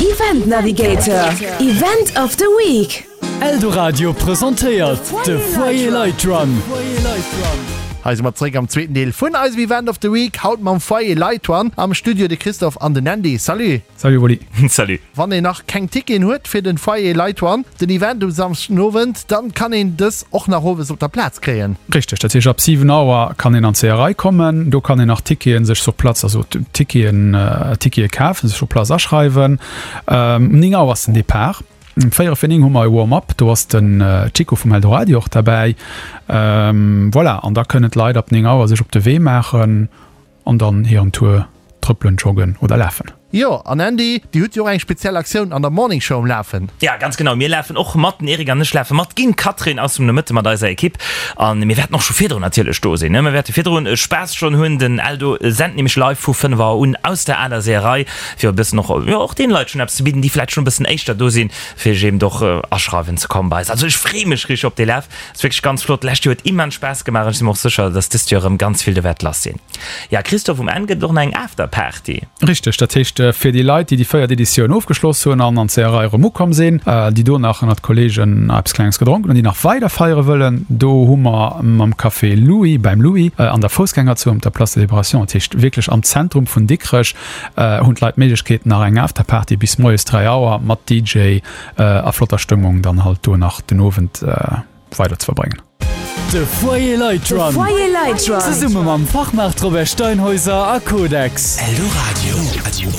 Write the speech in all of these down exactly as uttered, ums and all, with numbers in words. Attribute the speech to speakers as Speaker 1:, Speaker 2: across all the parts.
Speaker 1: Event Navigator, Event of the Week.
Speaker 2: Eldoradio presentéiert de Foyer Light Run.
Speaker 3: Hei si mer zréck am zweeten Deel vun eisem Event of the Week, haut mam Foyer Light Run. Am Studio de Christophe an den Andy. Salut!
Speaker 4: Salut Wally.
Speaker 5: Salut.
Speaker 3: Wann een nach keng Ticketen huet fir den Foyer Light Run, den Event um Samschdenowend, dann kann een dës och nach owes op der Plaz kréien.
Speaker 4: Richteg, dat heescht ab siwen Auer kann een an d'Seeërei kommen, do kann een nach Ticketen sech sur place, also Ticketen, Tickete kafen, sech sur place aschreiwen. Um néng Auer ass den Depart. Um véierel vir néng hu mer e Warm-up, do ass den Chico vum Eldoradio och derbäi. Voilà, an da kënnen d'Leit ab néng Auer sech op de Wee maachen an dann hiren Tour trëppelen, joggen oder lafen.
Speaker 3: Jo, an Andy, Dir hutt jo och eng speziell Aktioun an der Morning Show um Lafen.
Speaker 5: Ja, ganz genau, mir lafen och mat, den Eric an ech lafe mat, ginn d'Catherine ass um Nomëtte mat eiser Ekipp an mir wäerten och scho virdrun natierlech do sinn, ne? Mir wäerte virdrun Spaass schonn hunn, den Eldo sent nämlech live vu fënnef Auer un aus der aler Seeërei, fir e bëssen och, jo, och deene Leit schonn eppes ze bidden, déi vläicht schonn e bëssen éischter do sinn, fir sech eben och aschreiwen ze kommen bei eis. Also ech freeë mech richteg op dee Laf, ass wierklech ganz flott, d'lescht Joer huet immens Spaass gemaach an ech si mer och sécher, dass dëst Joer erëm ganz vill do wäert lass sinn. Ja, Christophe, um Enn gëtt et och nach eng Afterparty.
Speaker 4: Richteg, dat heescht fir déi Leit, déi déi véiert Editioun ofgeschloss hunn an an d'Seeërei erëm ukomm sinn, déi do nach ënnert Kolleegen eppes Klenges gedronken hunn, déi nach weider feiere wëllen, do hu mer mam Café Louis, beim Louis, an der Foussgängerzon op der Place de Libération, dat heescht wierklech am Zentrum vun Dikrech, hunn d'Leit d'Méiglechkeet nach eng Afterparty bis moies dräi Auer mat D J a flotter Stëmmung dann halt do nach den Owend weider ze verbréngen.
Speaker 2: De Foyer Light
Speaker 1: De
Speaker 2: Run.
Speaker 1: Foyer Light Run.
Speaker 2: Zesumme mam Fachmaart Robert Steinhäuser a Codex.
Speaker 6: Eldoradio.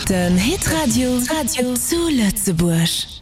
Speaker 1: Den Hitradio zu Lëtzebuerg.